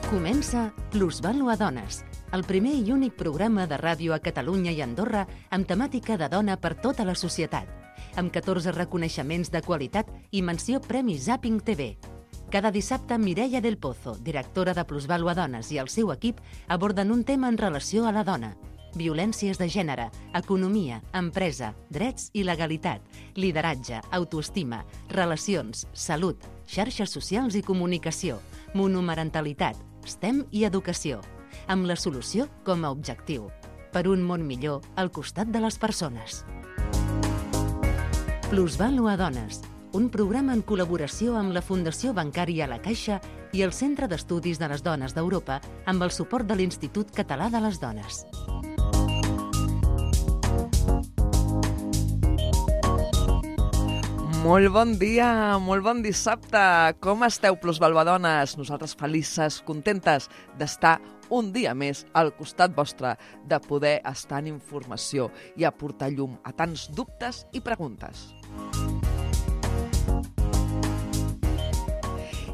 Comença Plusvàlua Dones, el primer i únic programa de ràdio a Catalunya i Andorra amb temàtica de dona per tota la societat, amb 14 reconeixements de qualitat i menció Premi Zapping TV. Cada dissabte, Mireia del Pozo, directora de Plusvàlua Dones, i el seu equip aborden un tema en relació a la dona. Violències de gènere, economia, empresa, drets i legalitat, lideratge, autoestima, relacions, salut, xarxes socials i comunicació, monomarentalitat, STEM i educació, amb la solució com a objectiu, per un món millor al costat de les persones. Plusvàlua Dones, un programa en col·laboració amb la Fundació Bancària La Caixa i el Centre d'Estudis de les Dones d'Europa amb el suport de l'Institut Català de les Dones. Molt bon dia, molt bon dissabte. Com esteu, plusvaluadones? Nosaltres felices, contentes d'estar un dia més al costat vostre, de poder estar en informació i aportar llum a tants dubtes i preguntes.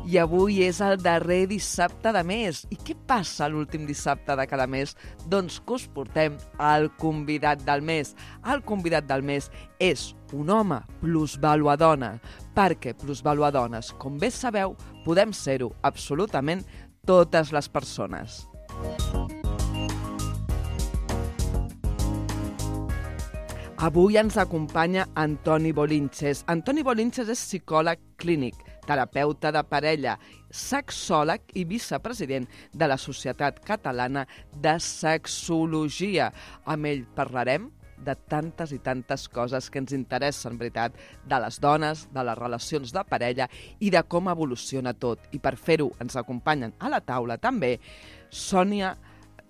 I avui és el darrer dissabte de mes. I què passa l'últim dissabte de cada mes? Doncs que us portem al convidat del mes. El convidat del mes és un home plusvaluadona, perquè plusvaluadones, com bé sabeu, podem ser-ho absolutament totes les persones. Avui ens acompanya Antoni Bolinches. Antoni Bolinches és psicòleg clínic, terapeuta de parella, sexòleg i vicepresident de la Societat Catalana de Sexologia. Amb ell parlarem de tantes i tantes coses que ens interessen, veritat, de les dones, de les relacions de parella i de com evoluciona tot. I per fer-ho ens acompanyen a la taula també Sònia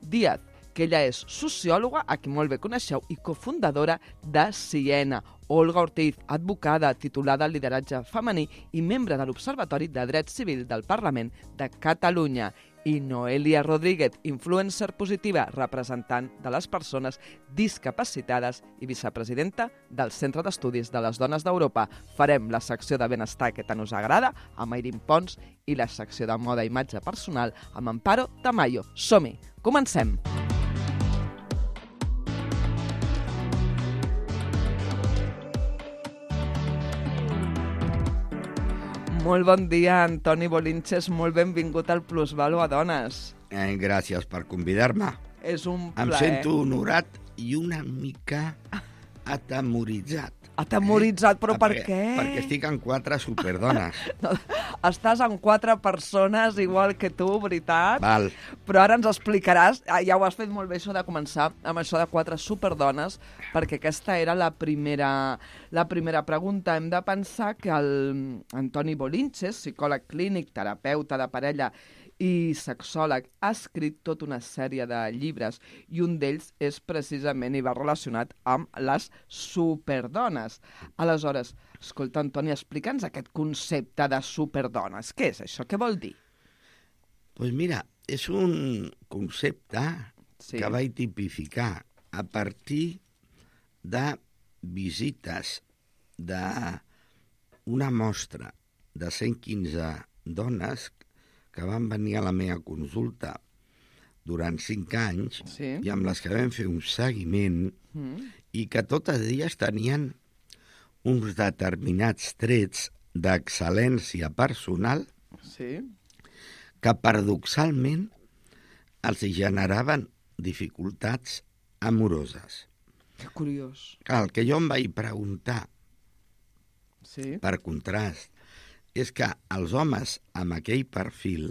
Díaz, que ella és sociòloga, a qui molt bé coneixeu, i cofundadora de Siena. Olga Ortiz, advocada, titulada en lideratge femení i membre de l'Observatori de Dret Civil del Parlament de Catalunya. I Noelia Rodríguez, influencer positiva, representant de les persones discapacitades i vicepresidenta del Centre d'Estudis de les Dones d'Europa. Farem la secció de benestar que tant us agrada amb Airín Pons i la secció de moda i imatge personal amb Amparo Tamayo. Som-hi, comencem! Molt bon dia, Antoni Bolinches, molt benvingut al Plusvàlua Dones. Gràcies per convidar-me. És un plaer. Em sento honorat i una mica atemoritzat. Atemoritzat, però per què? Perquè estic amb 4 superdones. Estàs amb 4 persones igual que tu, veritat? Val. Però ara ens explicaràs, ja ho has fet molt bé això de començar amb això de 4 superdones, perquè aquesta era la primera pregunta. Hem de pensar que Antoni Bolinches, psicòleg clínic, terapeuta de parella i sexòleg, ha escrit tota una sèrie de llibres i un d'ells és precisament i va relacionat amb les superdones. Aleshores, escolta, Antoni, explica'ns aquest concepte de superdones. Què és això? Què vol dir? Doncs mira, és un concepte que vaig tipificar a partir de visites d'una mostra de 115 dones que van venir a la meva consulta durant 5 anys i amb les que vam fer un seguiment i que totes elles tenien uns determinats trets d'excel·lència personal que paradoxalment els generaven dificultats amoroses. Que curiós. Clar, el que jo em vaig preguntar, per contrast, és que els homes amb aquell perfil,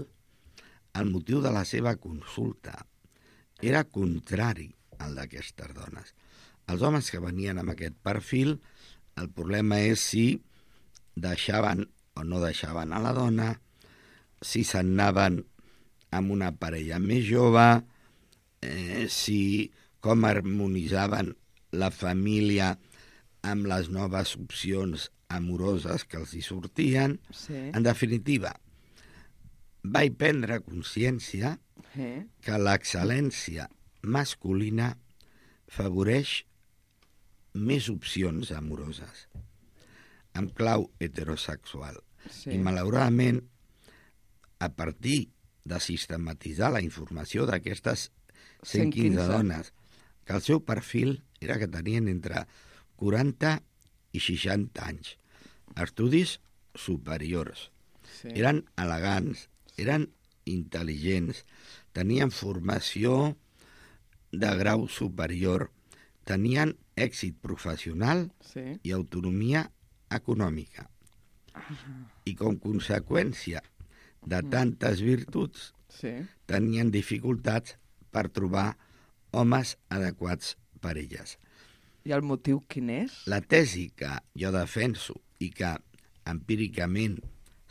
el motiu de la seva consulta era contrari al d'aquestes dones. Els homes que venien amb aquest perfil, el problema és si deixaven o no deixaven a la dona, si se'n anaven amb una parella més jove, com harmonitzaven la família amb les noves opcions amoroses que els hi sortien. En definitiva, vaig prendre consciència que l'excel·lència masculina favoreix més opcions amoroses, amb clau heterosexual. I malauradament, a partir de sistematitzar la informació d'aquestes 115 dones, que el seu perfil era que tenien entre 40 i 60 anys, estudis superiors, eren elegants, eren intel·ligents, tenien formació de grau superior, tenien èxit professional i autonomia econòmica. I com conseqüència de tantes virtuts, tenien dificultats per trobar homes adequats per elles. I el motiu quin és? La tesi que jo defenso i que empíricament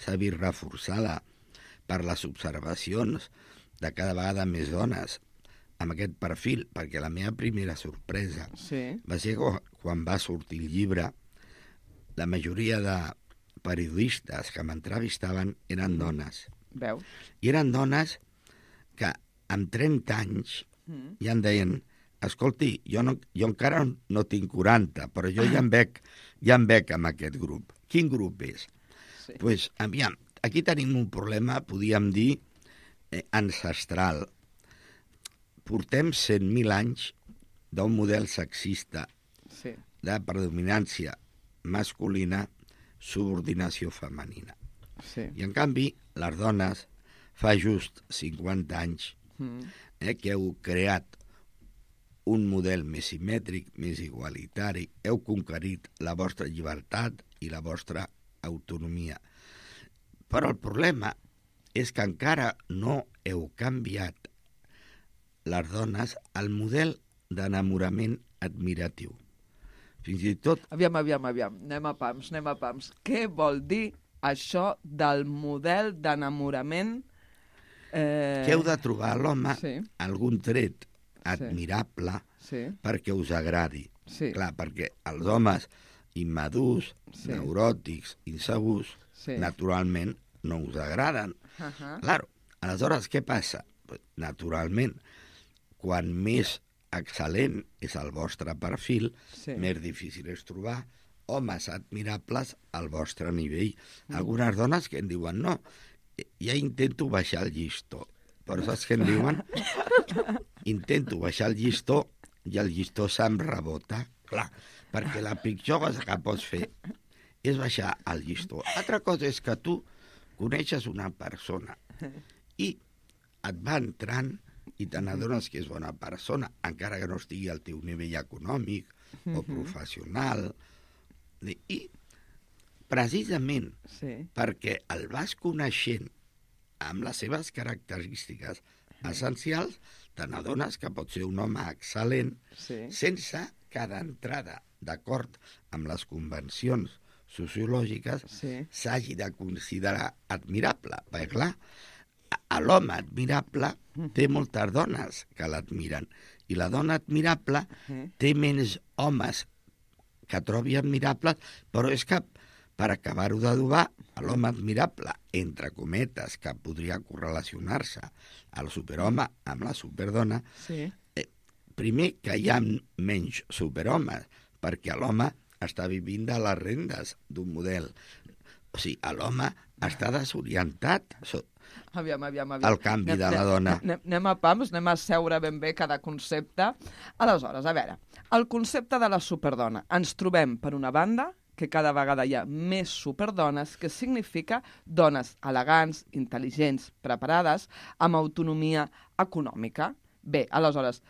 s'ha vist reforçada per les observacions de cada vegada més dones amb aquest perfil, perquè la meva primera sorpresa va ser quan va sortir el llibre, la majoria de periodistes que m'entrevistaven eren dones. Veus? I eren dones que amb 30 anys ja em deien: escolti, jo encara no tinc 40, però jo ja em veig amb aquest grup. Quin grup és? Doncs, aviam, aquí tenim un problema, podríem dir, ancestral. Portem 100.000 anys d'un model sexista de predominància masculina, subordinació femenina. I, en canvi, les dones fa just 50 anys que heu creat un model més simètric, més igualitari, heu conquerit la vostra llibertat i la vostra autonomia. Però el problema és que encara no heu canviat les dones el model d'enamorament admiratiu. Fins i tot... Aviam, anem a pams. Què vol dir això del model d'enamorament? Que heu de trobar a l'home algun tret admirable perquè us agradi. Clar, perquè els homes immadurs, neuròtics, insegurs, naturalment no us agraden. Claro, aleshores què passa? Naturalment, quan més excel·lent és el vostre perfil, més difícil és trobar homes admirables al vostre nivell. Algunes dones que em diuen: no, ja intento baixar el llistó. Però saps què em diuen? Intento baixar el llistó i el llistó se'm rebota. Clar, perquè la pitjor cosa que pots fer és baixar el llistó. Altra cosa és que tu coneixes una persona i et va entrant i te n'adones que és bona persona, encara que no estigui al teu nivell econòmic o professional. I precisament perquè el vas coneixent amb les seves característiques essencials, te n'adones que pot ser un home excel·lent sense que d'entrada, d'acord amb les convencions sociològiques, s'hagi de considerar admirable. Perquè, clar, l'home admirable té moltes dones que l'admiren i la dona admirable té menys homes que trobi admirables, però és que, per acabar-ho d'adobar, l'home admirable, entre cometes, que podria correlacionar-se al superhome amb la superdona, primer que hi ha menys superhomes, perquè l'home està vivint de les rendes d'un model. O sigui, l'home està desorientat. Aviam. El canvi de la dona. Anem a pams, anem a seure ben bé cada concepte. Aleshores, a veure, el concepte de la superdona. Ens trobem, per una banda, que cada vegada hi ha més superdones, que significa dones elegants, intel·ligents, preparades, amb autonomia econòmica. Bé, aleshores,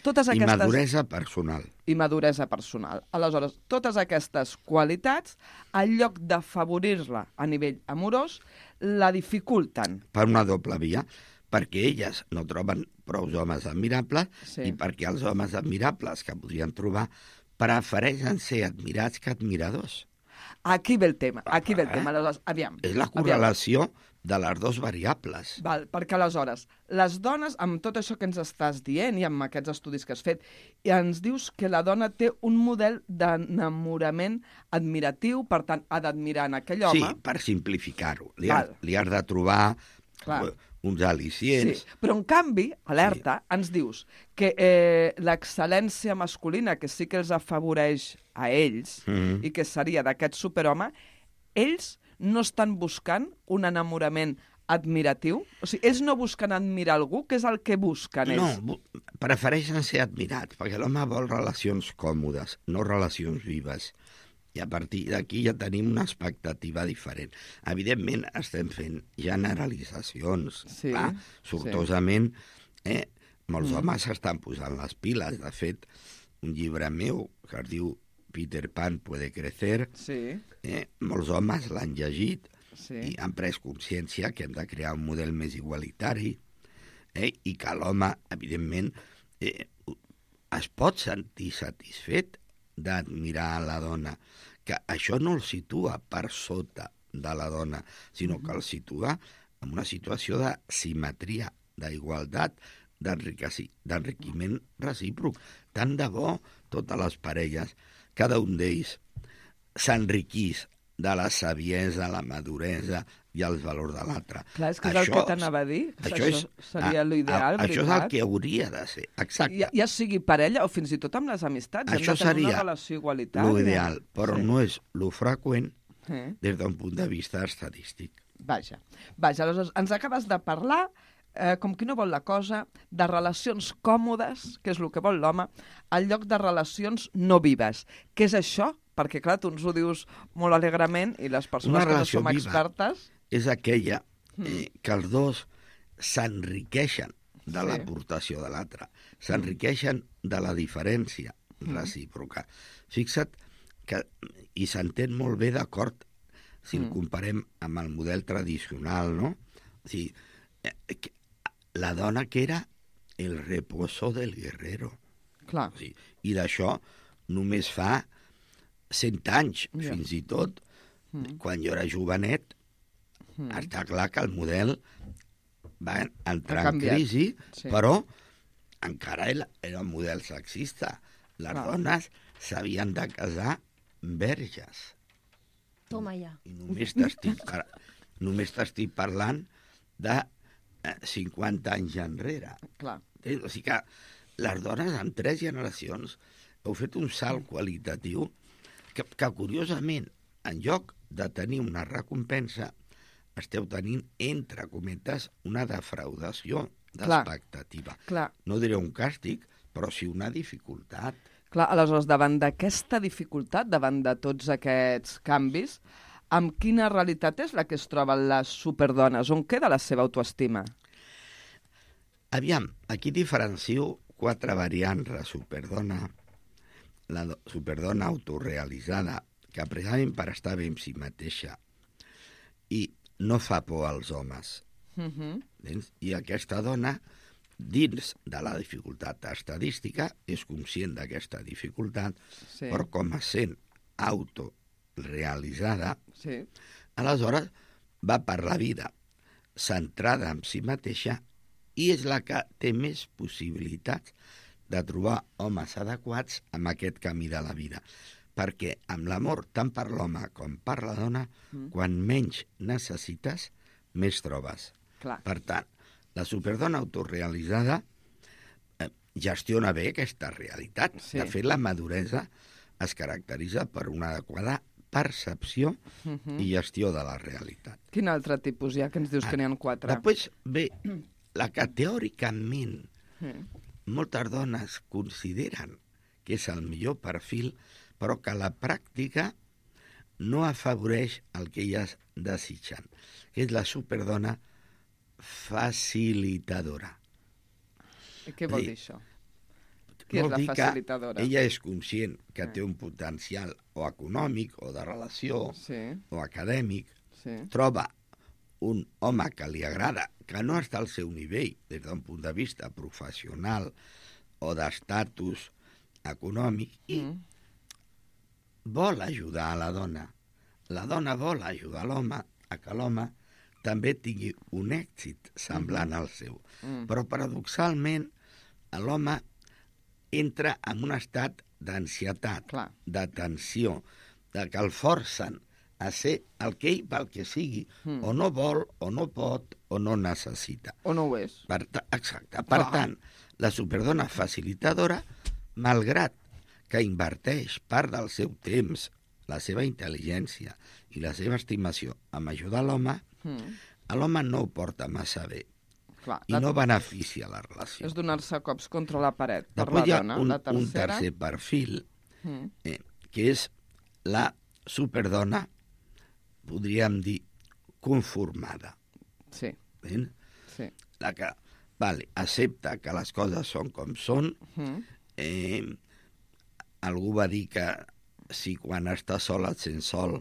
totes aquestes... I maduresa personal. I maduresa personal. Aleshores, totes aquestes qualitats, en lloc d'afavorir-la a nivell amorós, la dificulten. Per una doble via, perquè elles no troben prou homes admirables i perquè els homes admirables que podrien trobar prefereixen ser admirats que admiradors. Aquí ve el tema. Aleshores, aviam. És la correlació de les dues variables. Val, perquè aleshores, les dones, amb tot això que ens estàs dient i amb aquests estudis que has fet, ens dius que la dona té un model d'enamorament admiratiu, per tant, ha d'admirar en aquell home. Sí, per simplificar-ho. Li has de trobar uns al·licients. Sí, però en canvi, alerta, ens dius que l'excel·lència masculina, que sí que els afavoreix a ells, i que seria d'aquest superhome, ells no estan buscant un enamorament admiratiu? O sigui, ells no busquen admirar algú, què és el que busquen ells? No, prefereixen ser admirats, perquè l'home vol relacions còmodes, no relacions vives. I a partir d'aquí ja tenim una expectativa diferent. Evidentment, estem fent generalitzacions. Sí, clar, sortosament, molts homes s'estan posant les piles. De fet, un llibre meu que es diu Peter Pan puede crecer, molts homes l'han llegit i han pres consciència que hem de crear un model més igualitari i que l'home, evidentment, es pot sentir satisfet d'admirar la dona, que això no el situa per sota de la dona, sinó que el situa en una situació de simetria, d'igualtat, d'enriquiment recíproc. Tant de bo totes les parelles, cada un d'ells, s'enriquís de la saviesa, la maduresa i els valors de l'altre. Clar, és que és el que t'anava a dir. Això seria l'ideal, veritat? Això és el que hauria de ser, exacte. Ja sigui parella o fins i tot amb les amistats. Això seria una relació igualitària. L'ideal, però no és lo freqüent des d'un punt de vista estadístic. Vaja, aleshores ens acabes de parlar, com qui no vol la cosa, de relacions còmodes, que és el que vol l'home, al lloc de relacions no vives. Què és això? Perquè, clar, tu ens ho dius molt alegrement i les persones que no som expertes... És aquella que els dos s'enriqueixen de l'aportació de l'altre, s'enriqueixen de la diferència recíproca. Fixa't que, i s'entén molt bé d'acord si el comparem amb el model tradicional, no? O sigui, la dona que era el reposo del guerrero. Clar. O sigui, i d'això només fa 100 anys, fins i tot, quan jo era jovenet, està clar que el model va entrar en crisi, però encara era un model sexista. Les dones s'havien de casar verges. Toma ja. I només t'estic parlant de 50 anys enrere. Clar. O sigui que les dones en 3 generacions heu fet un salt qualitatiu que curiosament, en lloc de tenir una recompensa, esteu tenint, entre cometes, una defraudació d'expectativa. No diré un càstig, però sí una dificultat. Clar, aleshores, davant d'aquesta dificultat, davant de tots aquests canvis, amb quina realitat és la que es troben les superdones? On queda la seva autoestima? Aviam, aquí diferencio 4 variants de superdona. La superdona autorrealitzada, que precisament per estar bé amb si mateixa i no fa por als homes. I aquesta dona, dins de la dificultat estadística, és conscient d'aquesta dificultat, però com a sent autorealitzada, aleshores va per la vida centrada en si mateixa i és la que té més possibilitats de trobar homes adequats amb aquest camí de la vida. Perquè amb l'amor, tant per l'home com per la dona, quan menys necessites, més trobes. Per tant, la superdona autorrealitzada gestiona bé aquesta realitat. De fet, la maduresa es caracteritza per una adequada percepció i gestió de la realitat. Quin altre tipus hi ha, que ens dius que n'hi ha 4? Després ve la que teòricament moltes dones consideren que és el millor perfil, però que a la pràctica no afavoreix el que elles desitgen, que és la superdona facilitadora. I què vol dir això? Qui és la facilitadora? Ella és conscient que té un potencial o econòmic, o de relació, o acadèmic, troba un home que li agrada, que no està al seu nivell des d'un punt de vista professional o d'estatus econòmic, i vol ajudar a la dona. La dona vol ajudar l'home a que l'home també tingui un èxit semblant al seu. Però, paradoxalment, l'home entra en un estat d'ansietat, de tensió, de que el forcen a ser el que ell, pel que sigui, o no vol, o no pot, o no necessita. O no ho és. Exacte. Per tant, la superdona facilitadora, malgrat que inverteix part del seu temps, la seva intel·ligència i la seva estimació en ajudar l'home, l'home no ho porta massa bé. Clar, I no beneficia la relació. És donar-se cops contra la paret per Després la dona. hi ha un tercer perfil, que és la superdona, podríem dir, conformada. Sí. Sí. La que accepta que les coses són com són. Algú va dir que si quan estàs sol et sents sol,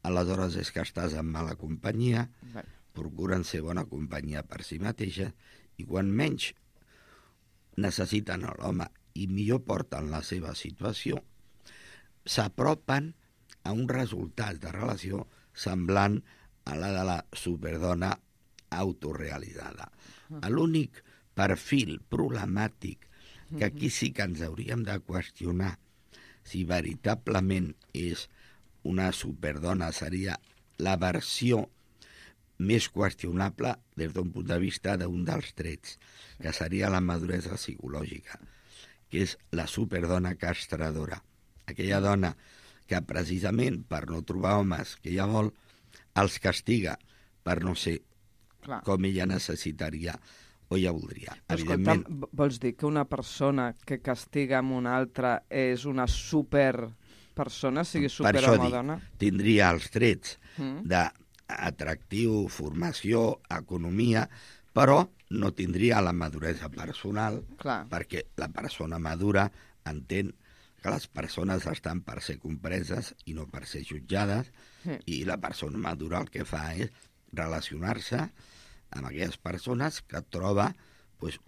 aleshores és que estàs en mala companyia. Procuren ser bona companyia per si mateixa, i quan menys necessiten l'home i millor porten la seva situació, s'apropen a un resultat de relació semblant a la de la superdona autorealitzada. L'únic perfil problemàtic que aquí sí que ens hauríem de qüestionar si veritablement és una superdona seria la versió més qüestionable des d'un punt de vista d'un dels trets, que seria la maduresa psicològica, que és la superdona castradora. Aquella dona que precisament per no trobar homes que ella vol, els castiga per no ser com ella necessitaria o ja voldria. Evidentment... Vols dir que una persona que castiga amb una altra és una superpersona, sigui superhome o dona? Tindria els trets d'atractiu, formació, economia, però no tindria la maduresa personal, perquè la persona madura entén que les persones estan per ser compreses i no per ser jutjades, i la persona madura el que fa és relacionar-se amb aquelles persones que troba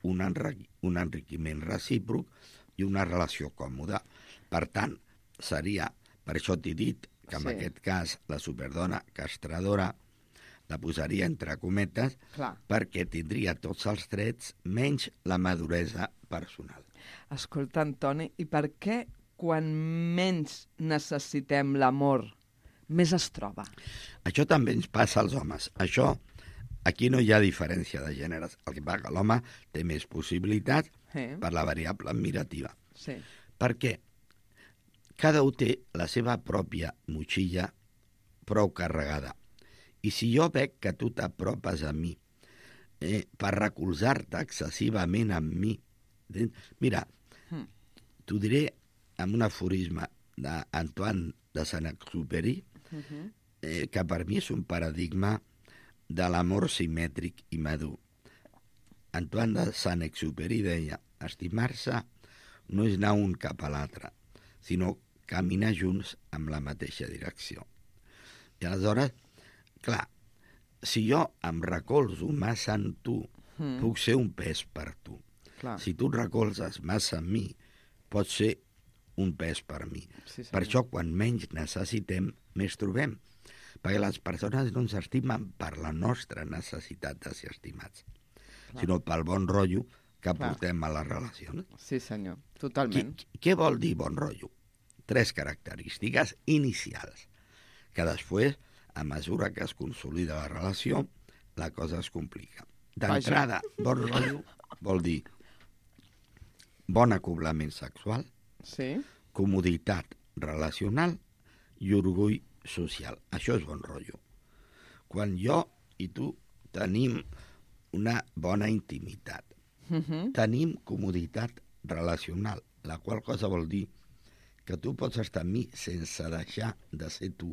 un enriquiment recíproc i una relació còmoda. Per tant, seria, per això t'he dit que en aquest cas la superdona castradora la posaria entre cometes, perquè tindria tots els trets menys la maduresa personal. Escolta, Antoni, i per què quan menys necessitem l'amor més es troba? Això també ens passa als homes. Aquí no hi ha diferència de gèneres. El que passa que l'home té més possibilitats per la variable admirativa. Perquè cada un té la seva pròpia motxilla prou carregada. I si jo veig que tu t'apropes a mi per recolzar-te excessivament amb mi, mira, t'ho diré amb un aforisme d'Antoine de Saint-Exupéry, que per mi és un paradigma de l'amor simètric i madur. Antoine de Saint-Exupéry deia: estimar-se no és anar un cap a l'altre, sinó caminar junts amb la mateixa direcció. I aleshores, clar, si jo em recolzo massa en tu, puc ser un pes per tu. Si tu et recolzes massa en mi, pots ser un pes per mi. Per això, quan menys necessitem, més trobem. Perquè les persones no ens estimen per la nostra necessitat de ser estimats, sinó pel bon rotllo que portem a les relacions. Sí, senyor, totalment. Què vol dir bon rotllo? 3 característiques inicials, que després, a mesura que es consolida la relació, la cosa es complica. D'entrada, bon rotllo vol dir bon acoblament sexual, comoditat relacional i orgull social. Això és bon rotllo. Quan jo i tu tenim una bona intimitat, tenim comoditat relacional, la qual cosa vol dir que tu pots estar amb mi sense deixar de ser tu,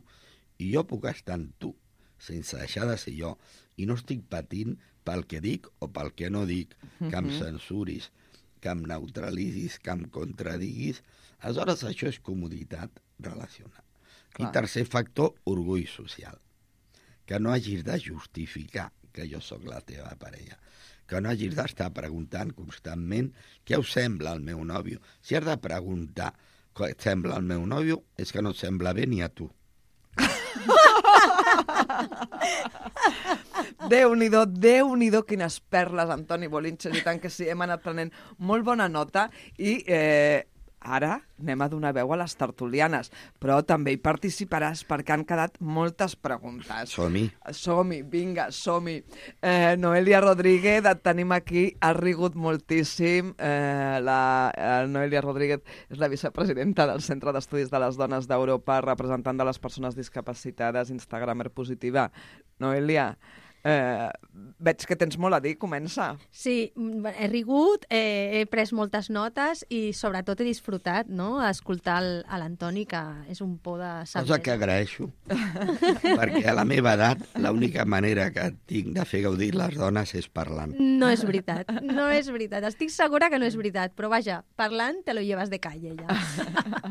i jo puc estar amb tu sense deixar de ser jo, i no estic patint pel que dic o pel que no dic, que em censuris, que em neutralitzis, que em contradiguis. Aleshores, això és comoditat relacional. I tercer factor, orgull social. Que no hagis de justificar que jo sóc la teva parella. Que no hagis d'estar preguntant constantment què us sembla el meu nòvio. Si has de preguntar què et sembla el meu nòvio, és que no et sembla bé ni a tu. Déu-n'hi-do, quines perles, Antoni Bolinches, i tant que sí, hem anat prenent molt bona nota, i ara anem a donar veu a les tertulianes, però també hi participaràs perquè han quedat moltes preguntes. Som-hi, vinga, som-hi. Noelia Rodríguez, et tenim aquí, has rigut moltíssim. La Noelia Rodríguez és la vicepresidenta del Centre d'Estudis de les Dones d'Europa, representant de les persones discapacitades, instagramer positiva. Noelia, Veig que tens molt a dir, comença. Sí, he rigut, he pres moltes notes i sobretot he disfrutat, no?, escoltar a l'Antoni, que és un por de saber. Cosa que agraeixo, perquè a la meva edat l'única manera que tinc de fer gaudir les dones és parlant. No és veritat, no és veritat. Estic segura que no és veritat, però vaja, parlant te lo llevas de calle, ja.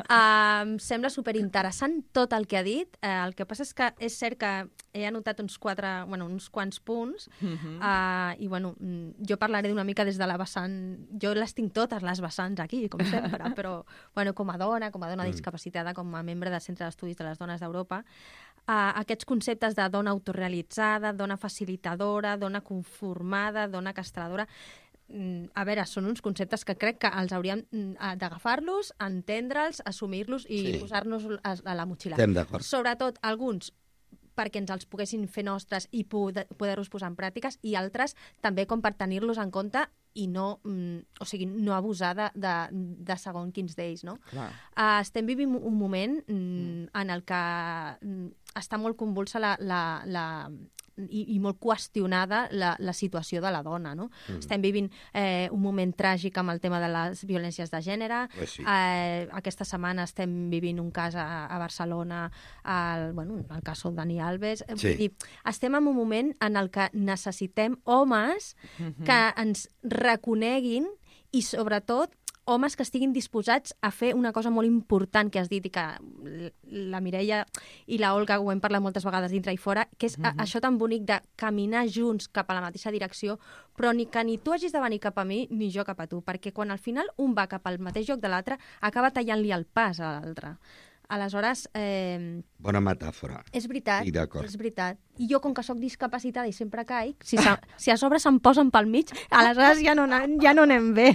Em sembla superinteressant tot el que ha dit. El que passa és que és cert que he anotat uns quants punts i, bueno, jo parlaré una mica des de la vessant... Jo les tinc totes, les vessants aquí, com sempre, però, bueno, com a dona discapacitada, com a membre del Centre d'Estudis de les Dones d'Europa, aquests conceptes de dona autorrealitzada, dona facilitadora, dona conformada, dona castradora... A veure, són uns conceptes que crec que els hauríem d'agafar-los, entendre'ls, assumir-los i posar-nos a la motxilla. Estem d'acord. Sobretot alguns perquè ens els poguessin fer nostres i poder-los posar en pràctiques, i altres també com per tenir-los en compte i no, no abusar de segons quins d'ells, no? Estem vivint un moment en el que està molt convulsa i molt qüestionada la situació de la dona, no? Estem vivint un moment tràgic amb el tema de les violències de gènere. Aquesta setmana estem vivint un cas a Barcelona, el cas del Dani Alves. Vull dir, estem en un moment en el que necessitem homes que ens reconeguin i, sobretot, homes que estiguin disposats a fer una cosa molt important que has dit i que la Mireia i la Olga ho hem parlat moltes vegades dintre i fora, que és això tan bonic de caminar junts cap a la mateixa direcció, però ni que ni tu hagis de venir cap a mi ni jo cap a tu, perquè quan al final un va cap al mateix lloc de l'altre acaba tallant-li el pas a l'altre. Aleshores... Bona metàfora. És veritat, estic d'acord. És veritat. I jo, com que sóc discapacitada i sempre caic, si a sobre se'm posen pel mig, aleshores ja no anem bé.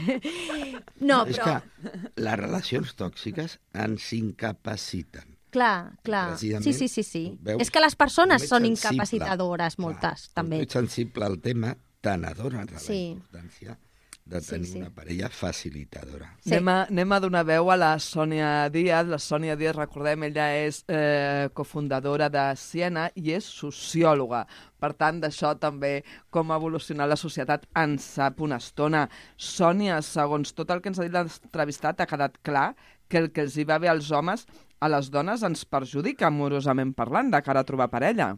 No, és però... que les relacions tòxiques ens incapaciten. Clar. Sí. Veus? És que les persones són incapacitadores, moltes, també. Ets sensible al tema, te n'adones de la importància de tenir una parella facilitadora. Sí. Anem a donar veu a la Sònia Díaz. La Sònia Díaz, recordem, ella és cofundadora de Siena i és sociòloga. Per tant, d'això també, com ha evolucionat la societat, en sap una estona. Sònia, segons tot el que ens ha dit l'entrevistat, ha quedat clar que el que els hi va bé als homes, a les dones ens perjudica amorosament parlant de cara a trobar parella.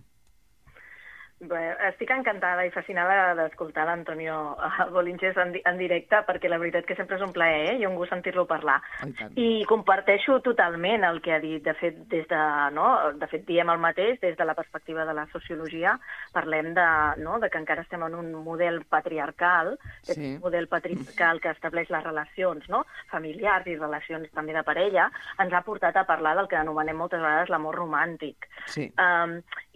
Bé, estic encantada i fascinada d'escoltar l'Antonio Bolinches en directe, perquè la veritat que sempre és un plaer i un gust sentir-lo parlar. I comparteixo totalment el que ha dit. De fet, de fet, diem el mateix des de la perspectiva de la sociologia. Parlem de que encara estem en un model patriarcal, un model patriarcal que estableix les relacions familiars i relacions també de parella, ens ha portat a parlar del que anomenem moltes vegades l'amor romàntic.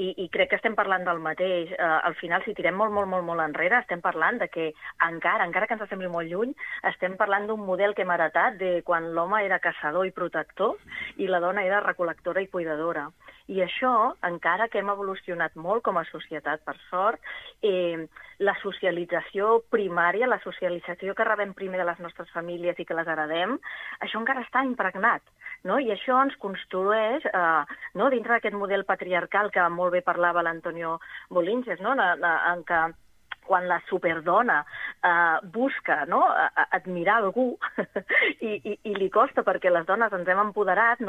I crec que estem parlant del mateix. Al final, si tirem molt enrere, estem parlant de que encara que ens sembli molt lluny, estem parlant d'un model que hem heretat de quan l'home era caçador i protector i la dona era recol·lectora i cuidadora. I això, encara que hem evolucionat molt com a societat, per sort, la socialització primària, la socialització que rebem primer de les nostres famílies i que les heredem, això encara està impregnat. I això ens construeix, dintre d'aquest model patriarcal que molt bé parlava l'Antonio Bolinches, en què quan la superdona busca admirar algú i li costa perquè les dones ens hem empoderat,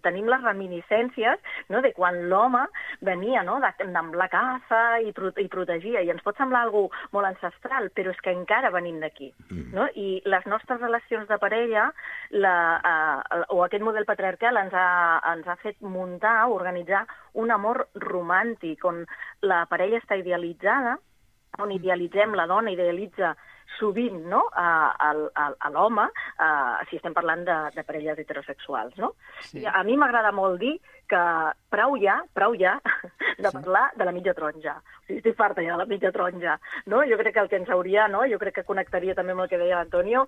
tenim les reminiscències de quan l'home venia amb la caça i protegia, i ens pot semblar algú molt ancestral, però és que encara venim d'aquí. I les nostres relacions de parella o aquest model patriarcal ens ha fet muntar, organitzar un amor romàntic on la parella està idealitzada, on idealitzem, la dona idealitza sovint a l'home, si estem parlant de parelles heterosexuals. A mi m'agrada molt dir que prou ja de parlar de la mitja taronja. O sigui, estic farta ja de la mitja taronja. Jo crec que el que ens hauria, jo crec que connectaria també amb el que deia l'Antonio,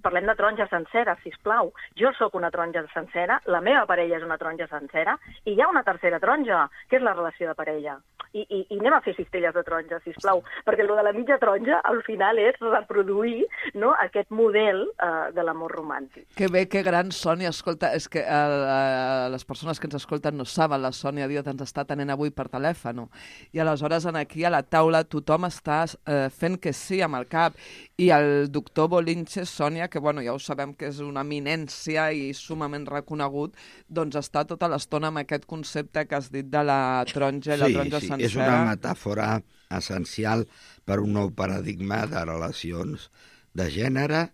parlem de taronja sencera, sisplau. Jo sóc una taronja sencera, la meva parella és una taronja sencera, i hi ha una tercera taronja, que és la relació de parella. I anem a fer cistelles de taronja, sisplau, perquè el de la mitja taronja al final és reproduir, no?, aquest model de l'amor romàntic. Que bé, que gran, Sònia. Escolta, és que les persones que ens escolten no saben, la Sònia Díaz ens està atenent avui per telèfon. I aleshores aquí a la taula tothom està fent que sí amb el cap. I el doctor Bolinches, Sònia, que bueno, ja ho sabem que és una eminència i sumament reconegut, doncs està tota l'estona amb aquest concepte que has dit de la taronja i la taronja sencera. Sí, és una metàfora essencial per un nou paradigma de relacions de gènere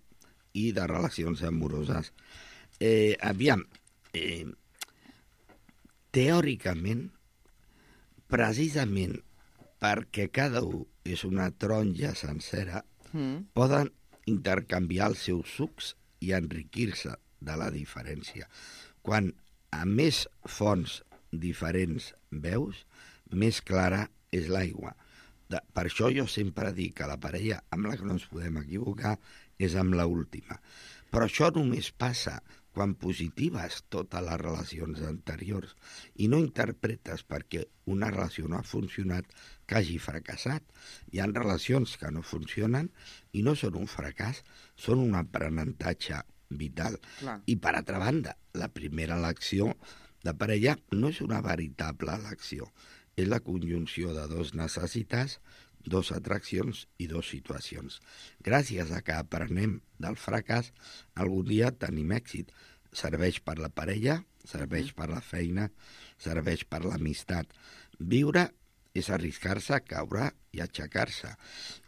i de relacions amoroses. Teòricament, precisament perquè cada un és una taronja sencera, poden intercanviar els seus sucs i enriquir-se de la diferència. Quan a més fonts diferents veus, més clara és l'aigua. Per això jo sempre dic que la parella amb la que no ens podem equivocar és amb l'última. Però això només passa quan positives totes les relacions anteriors i no interpretes perquè una relació no ha funcionat que hagi fracassat. Hi ha relacions que no funcionen i no són un fracàs, són un aprenentatge vital. Clar. I per altra banda, la primera elecció de parella no és una veritable elecció, és la conjunció de dos necessitats, dos atraccions i dos situacions. Gràcies a que aprenem del fracàs, algun dia tenim èxit. Serveix per la parella, serveix per la feina, serveix per l'amistat. Viure és arriscar-se, caure i aixecar-se.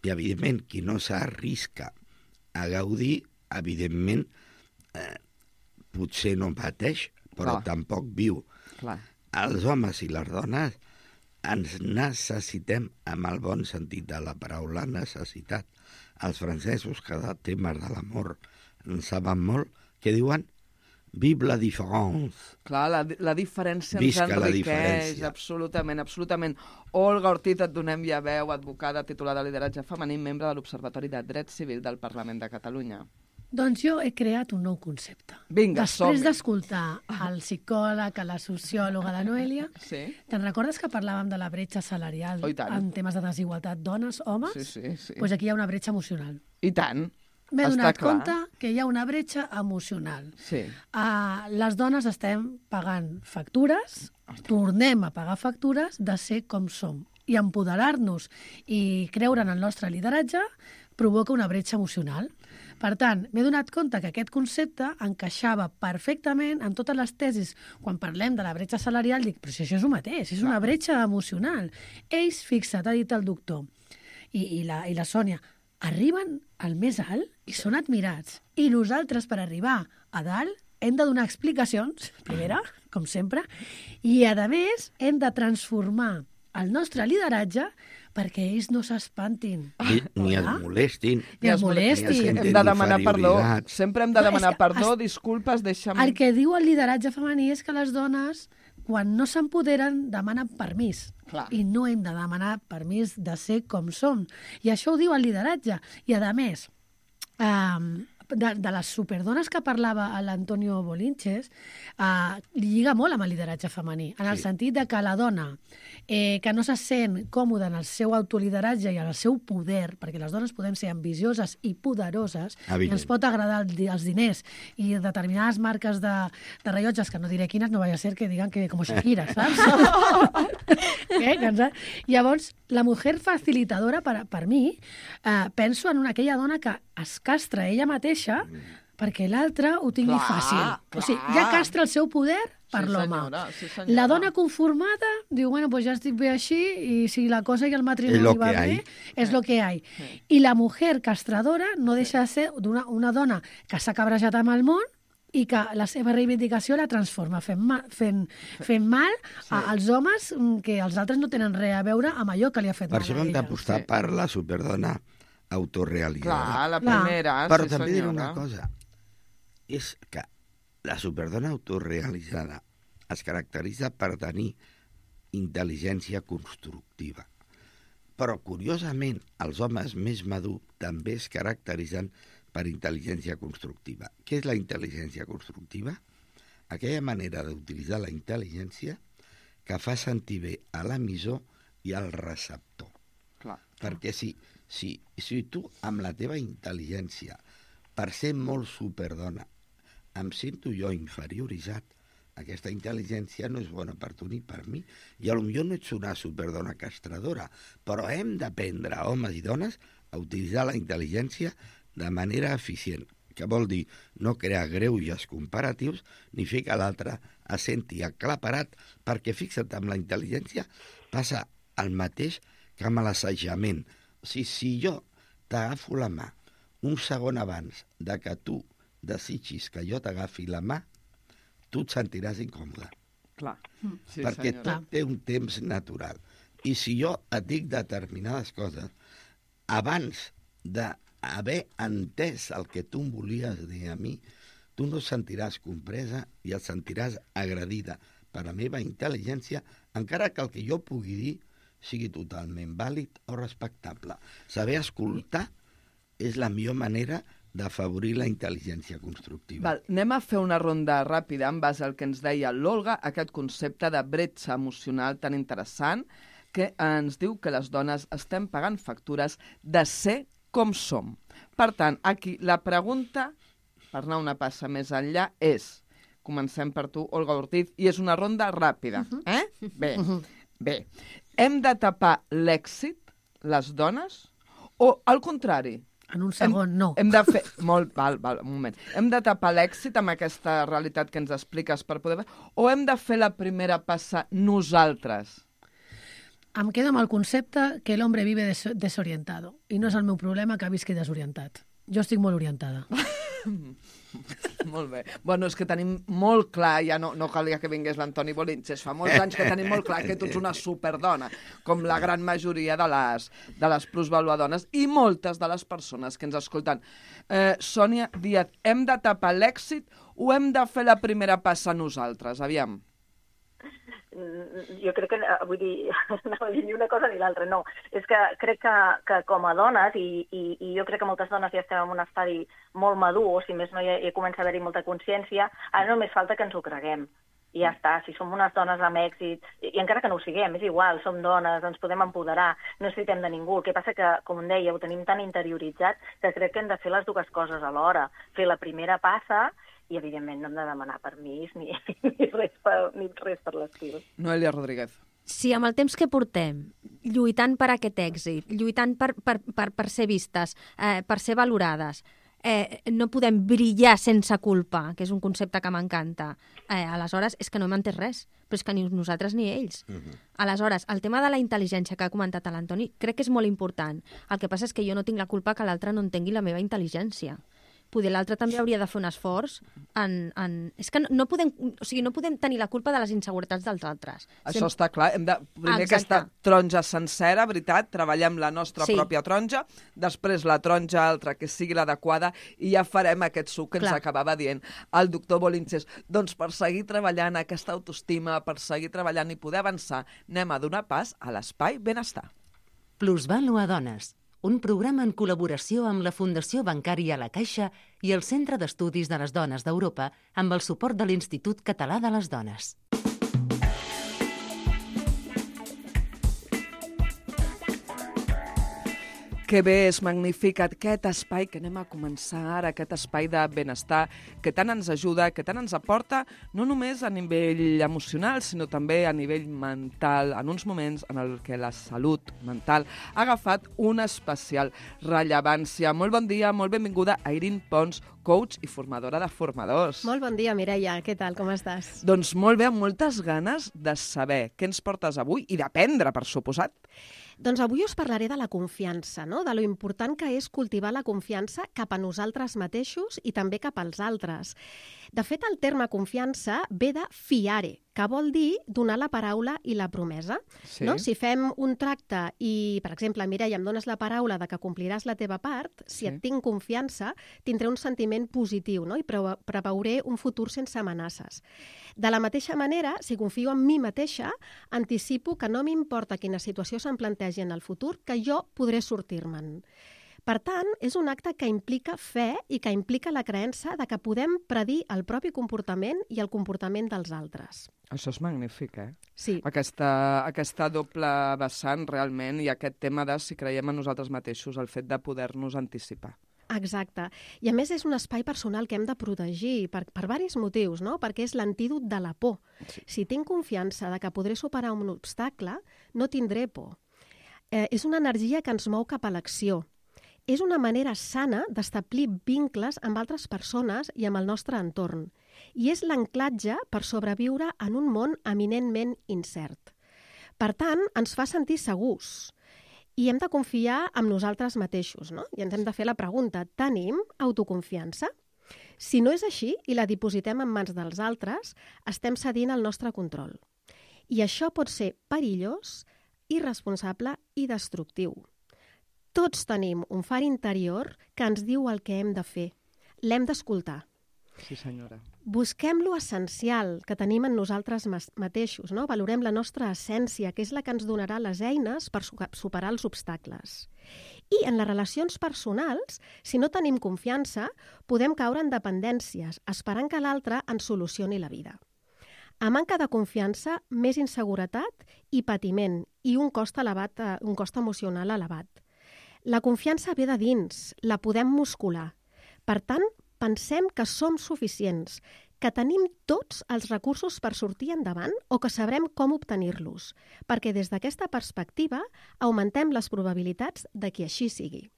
I, evidentment, qui no s'arrisca a gaudir, evidentment, potser no pateix, però tampoc viu. Clar. Els homes i les dones ens necessitem amb el bon sentit de la paraula necessitat. Els francesos, que de temes de l'amor en saben molt, que diuen vive la différence. Clar, la diferència ens Visca la enriqueix, diferència. absolutament, absolutament. Olga Ortiz, et donem ja veu, advocada titular de lideratge femení, membre de l'Observatori de Dret Civil del Parlament de Catalunya. Doncs jo he creat un nou concepte. Vinga, Després d'escoltar el psicòleg, la sociòloga, la Noèlia, Sí. te'n recordes que parlàvem de la bretxa salarial Oh, i tant. en temes de desigualtat dones, homes? Sí. Doncs aquí hi ha una bretxa emocional. I tant. M'he Està donat clar. compte que hi ha una bretxa emocional. Sí. Les dones estem pagant factures, tornem a pagar factures de ser com som. I empoderar-nos i creure en el nostre lideratge provoca una bretxa emocional. Per tant, m'he donat compte que aquest concepte encaixava perfectament en totes les tesis. Quan parlem de la bretxa salarial, dic, però si això és el mateix, és una bretxa emocional. Ells, fixa't, ha dit el doctor, i la Sònia, arriben al més alt i són admirats. I nosaltres, per arribar a dalt, hem de donar explicacions, primera, com sempre, i, a més, hem de transformar el nostre lideratge perquè ells no s'espantin. Ni es molestin. Ni es molestin. Hem de demanar perdó. inferioritat. Sempre hem de demanar perdó, disculpes, deixa'm... El que diu el lideratge femení és que les dones, quan no s'empoderen, demanen permís. Clar. I no hem de demanar permís de ser com som. I això ho diu el lideratge. I, a més, de les superdones que parlava l'Antonio Bolinches, lliga molt amb el lideratge femení, en el sentit de que la dona que no se sent còmoda en el seu autolideratge i en el seu poder, perquè les dones podem ser ambicioses i poderoses, i ens pot agradar els diners i determinades marques de rellotges, que no diré quines, no vaya a ser que digan que com Shakira, saps? Llavors, la mujer facilitadora, per mi, penso en aquella dona que es castra ella mateixa perquè l'altre ho tingui fàcil. O sigui, ja castra el seu poder per l'home. La dona conformada diu, bueno, pues ja estic bé així i si la cosa i el matrimoni va bé, és lo que hay. I la mujer castradora no deixa de ser una dona que s'ha cabrejat amb el món i que la seva reivindicació la transforma fent mal als homes que els altres no tenen res a veure amb allò que li ha fet mal a ella. Per això hem d'apostar per la superdona autorealitzada. Clar, la primera, però també diré una cosa, és que la superdona autorealitzada es caracteritza per tenir intel·ligència constructiva. Però, curiosament, els homes més madurs també es caracteritzen per intel·ligència constructiva. Què és la intel·ligència constructiva? Aquella manera d'utilitzar la intel·ligència que fa sentir bé a l'emissor i al receptor. Clar. Perquè si tu, amb la teva intel·ligència, per ser molt superdona, em sento jo inferioritzat, aquesta intel·ligència no és bona per tu ni per mi. I potser no ets una superdona castradora, però hem d'aprendre, homes i dones, a utilitzar la intel·ligència de manera eficient, que vol dir no crear greuges comparatius ni fer que l'altre es senti aclaparat, perquè fixa't, amb la intel·ligència passa el mateix que amb l'assajament. O sigui, si jo t'agafo la mà un segon abans de que tu desitgis que jo t'agafi la mà, tu et sentiràs incòmode. Clar. Sí, perquè senyor. tot té un temps natural. I si jo et dic determinades coses, abans d'haver entès el que tu em volies dir a mi, tu no et sentiràs compresa i et sentiràs agredida per la meva intel·ligència, encara que el que jo pugui dir sigui totalment vàlid o respectable. Saber escoltar és la millor manera d'afavorir la intel·ligència constructiva. Val, anem a fer una ronda ràpida en base al que ens deia l'Olga, aquest concepte de bretxa emocional tan interessant, que ens diu que les dones estem pagant factures de ser com som. Per tant, aquí la pregunta, per anar una passa més enllà, és, comencem per tu, Olga Ortiz, i és una ronda ràpida. Bé. Hem de tapar l'èxit, les dones, o al contrari? En un segon, no. Hem de fer... Val, un moment. Hem de tapar l'èxit amb aquesta realitat que ens expliques per poder... O hem de fer la primera passa nosaltres? Em quedo amb el concepte que l'hombre vive desorientado. I no és el meu problema que visqui desorientat. Jo estic molt orientada. Molt bé. Bueno, és que tenim molt clar, ja no calia que vingués l'Antoni Bolintxes, fa molts anys que tenim molt clar que tu ets una superdona, com la gran majoria de les plusvaluadones i moltes de les persones que ens escolten. Sònia Díaz, hem de tapar l'èxit o hem de fer la primera passa nosaltres? Aviam. Jo crec que, vull dir, no vull dir ni una cosa ni l'altra, no. És que crec que com a dones, i jo crec que moltes dones ja estem en un estadi molt madur, o si més no ja comença a haver-hi molta consciència, ara només falta que ens ho creguem. I ja està, si som unes dones amb èxit, i encara que no ho siguem, és igual, som dones, ens podem empoderar, no necessitem de ningú. El que passa que, com deia, ho tenim tan interioritzat que crec que hem de fer les dues coses alhora. Fer la primera passa i, evidentment, no hem de demanar permís ni res per l'estil. Noelia Rodríguez. Si amb el temps que portem, lluitant per aquest èxit, lluitant per ser vistes, per ser valorades, no podem brillar sense culpa, que és un concepte que m'encanta, aleshores és que no hem entès res, però és que ni nosaltres ni ells. Aleshores, el tema de la intel·ligència que ha comentat l'Antoni crec que és molt important. El que passa és que jo no tinc la culpa que l'altre no entengui la meva intel·ligència. Poder l'altre també hauria de fer un esforç És que no podem tenir la culpa de les inseguretats dels altres. Això està clar. Hem de primer aquesta taronja sencera, veritat, treballem la nostra pròpia taronja, després la taronja altra que sigui l'adequada i ja farem aquest suc que ens acabava dient el doctor Bolintxes. Doncs per seguir treballant aquesta autoestima, per seguir treballant i poder avançar, anem a donar pas a l'Espai Benestar. Plusvàlua Dones, un programa en col·laboració amb la Fundació Bancària La Caixa i el Centre d'Estudis de les Dones d'Europa amb el suport de l'Institut Català de les Dones. Que bé, és magnífic aquest espai que anem a començar ara, aquest espai de benestar que tant ens ajuda, que tant ens aporta, no només a nivell emocional, sinó també a nivell mental, en uns moments en el que la salut mental ha agafat una especial rellevància. Molt bon dia, molt benvinguda a Irene Pons, coach i formadora de formadors. Molt bon dia, Mireia. Què tal? Com estàs? Doncs molt bé, amb moltes ganes de saber què ens portes avui i d'aprendre, per suposat. Doncs avui us parlaré de la confiança, no? De lo important que és cultivar la confiança cap a nosaltres mateixos i també cap als altres. De fet, el terme confiança ve de fiare, que vol dir donar la paraula i la promesa. Sí. No? Si fem un tracte i, per exemple, Mireia, em dones la paraula de que compliràs la teva part, si et tinc confiança, tindré un sentiment positiu, no? I preveuré un futur sense amenaces. De la mateixa manera, si confio en mi mateixa, anticipo que no m'importa quina situació se'm plantegi en el futur, que jo podré sortir-me'n. Per tant, és un acte que implica fe i que implica la creença de que podem predir el propi comportament i el comportament dels altres. Això és magnífic, Sí. Aquesta doble vessant, realment, i aquest tema de si creiem en nosaltres mateixos, el fet de poder-nos anticipar. Exacte. I a més és un espai personal que hem de protegir per diversos motius, no? Perquè és l'antídot de la por. Sí. Si tinc confiança de que podré superar un obstacle, no tindré por. És una energia que ens mou cap a l'acció. És una manera sana d'establir vincles amb altres persones i amb el nostre entorn. I és l'anclatge per sobreviure en un món eminentment incert. Per tant, ens fa sentir segurs. I hem de confiar en nosaltres mateixos, no? I ens hem de fer la pregunta, tenim autoconfiança? Si no és així i la dipositem en mans dels altres, estem cedint el nostre control. I això pot ser perillós, irresponsable i destructiu. Tots tenim un far interior que ens diu el que hem de fer. L'hem d'escoltar. Sí, senyora. Busquem lo essencial que tenim en nosaltres mateixos, no? Valorem la nostra essència, que és la que ens donarà les eines per superar els obstacles. I en les relacions personals, si no tenim confiança, podem caure en dependències, esperant que l'altre ens solucioni la vida. A manca de confiança, més inseguretat i patiment, i un cost emocional elevat. La confiança ve de dins, la podem muscular. Per tant, pensem que som suficients, que tenim tots els recursos per sortir endavant o que sabrem com obtenir-los, perquè des d'aquesta perspectiva augmentem les probabilitats de que així sigui.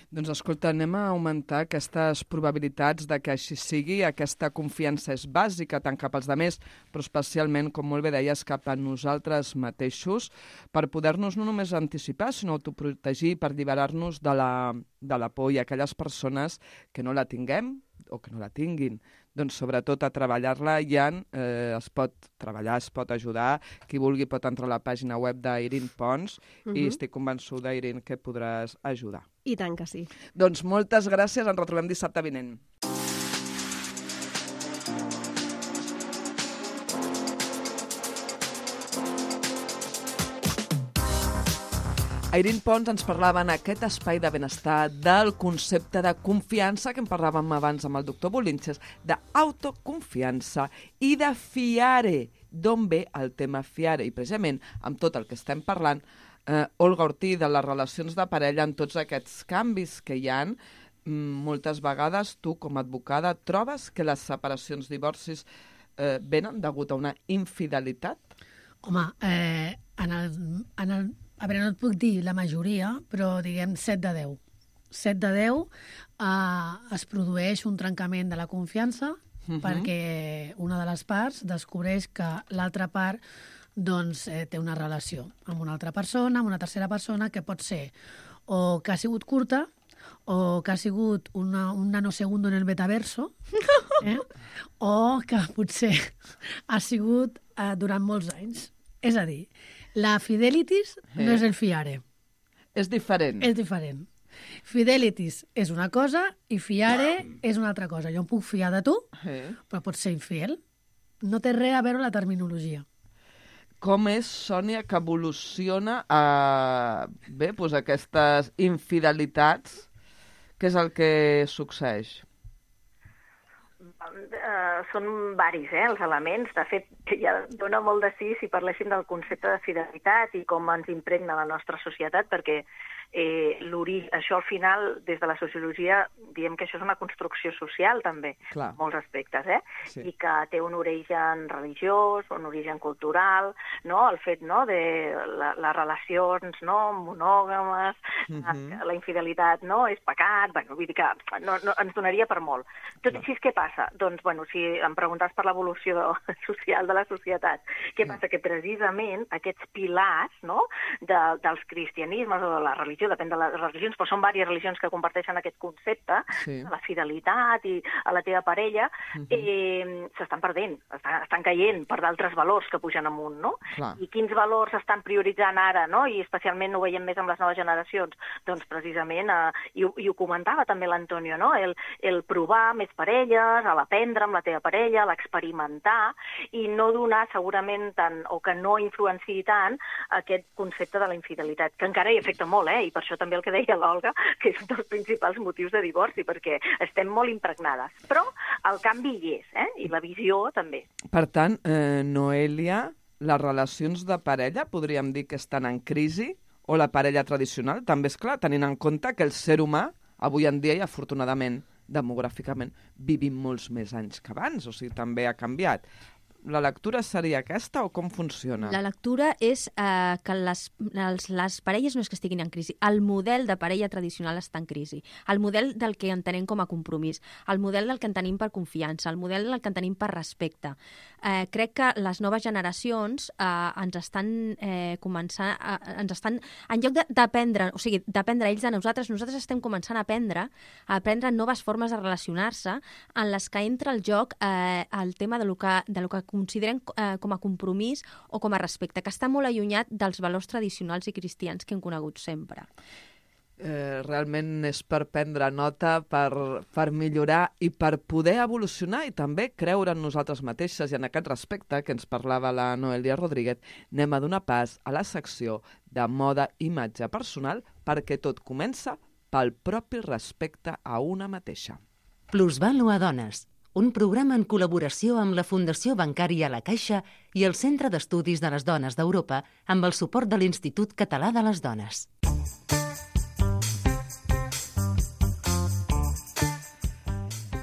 Doncs escolta, anem a augmentar aquestes probabilitats de que així sigui. Aquesta confiança és bàsica tant cap als altres, però especialment, com molt bé deies, cap a nosaltres mateixos, per poder-nos no només anticipar, sinó autoprotegir, per alliberar-nos de la por, i aquelles persones que no la tinguem o que no la tinguin. Doncs sobretot a treballar-la ja es pot treballar, es pot ajudar. Qui vulgui pot entrar a la pàgina web d'Irene Pons i estic convençuda, Irene, que podràs ajudar. I tant que sí. Doncs moltes gràcies, ens retrobem dissabte vinent. Irene Pons ens parlava en aquest espai de benestar del concepte de confiança que en parlàvem abans amb el doctor Bolinches, d'autoconfiança i de fiare. D'on ve el tema fiare? I precisament amb tot el que estem parlant, Olga Ortí, de les relacions de parella, en tots aquests canvis que hi ha, moltes vegades tu, com a advocada, trobes que les separacions, divorcis, venen degut a una infidelitat? Home, a veure, no et puc dir la majoria, però diguem 7 de 10. 7 de 10 es produeix un trencament de la confiança perquè una de les parts descobreix que l'altra part doncs, té una relació amb una altra persona, amb una tercera persona, que pot ser o que ha sigut curta o que ha sigut un nanosegundo en el metaverso, o que potser ha sigut durant molts anys. És a dir, la fidelitis no és el fiare. És diferent. És diferent. Fidelitis és una cosa i fiare és una altra cosa. Jo em puc fiar de tu, però pots ser infiel. No té res a veure la terminologia. Com és, Sònia, que evoluciona aquestes infidelitats? Què és el que succeeix? Són varis, els elements. De fet, ja dona molt de sí si parléssim del concepte de fidelitat i com ens impregna la nostra societat, perquè això al final, des de la sociologia, diem que això és una construcció social també, en molts aspectes, sí. I que té un origen religiós, un origen cultural, no? El fet de les relacions monògames, la infidelitat és pecat, vull dir que no, ens donaria per molt. Tot i així, què passa? Doncs, si em preguntes per l'evolució social de la societat, què passa? Que precisament aquests pilars dels cristianismes o de la religió, depèn de les religions, però són diverses religions que comparteixen aquest concepte, la fidelitat i a la teva parella, s'estan perdent, estan caient per d'altres valors que pugen amunt, no? I quins valors s'estan prioritzant ara, i especialment ho veiem més amb les noves generacions? Doncs precisament, i ho comentava també l'Antonio, el provar més parelles, l'aprendre amb la teva parella, l'experimentar, i no donar segurament tant, o que no influenciï tant aquest concepte de la infidelitat, que encara hi afecta molt, i per això també el que deia l'Olga, que és un dels principals motius de divorci, perquè estem molt impregnades. Però el canvi hi és, i la visió també. Per tant, Noelia, les relacions de parella podríem dir que estan en crisi, o la parella tradicional, també és clar, tenint en compte que el ser humà, avui en dia i afortunadament, demogràficament, vivim molts més anys que abans, o sigui, també ha canviat. La lectura seria aquesta o com funciona? La lectura és que les parelles no és que estiguin en crisi. El model de parella tradicional està en crisi. El model del que entenem com a compromís. El model del que entenem per confiança. El model del que entenem per respecte. Crec que les noves generacions ens estan començant... en lloc d'aprendre, o sigui, d'aprendre ells de nosaltres estem començant a aprendre noves formes de relacionar-se en les que entra el joc el tema de lo que consideren com a compromís o com a respecte, que està molt allunyat dels valors tradicionals i cristians que hem conegut sempre. Realment és per prendre nota, per millorar i per poder evolucionar i també creure en nosaltres mateixes. I en aquest respecte que ens parlava la Noelia Rodríguez, anem a donar pas a la secció de moda i imatge personal perquè tot comença pel propi respecte a una mateixa. Plusvàlua Dones, un programa en col·laboració amb la Fundació Bancària La Caixa i el Centre d'Estudis de les Dones d'Europa amb el suport de l'Institut Català de les Dones.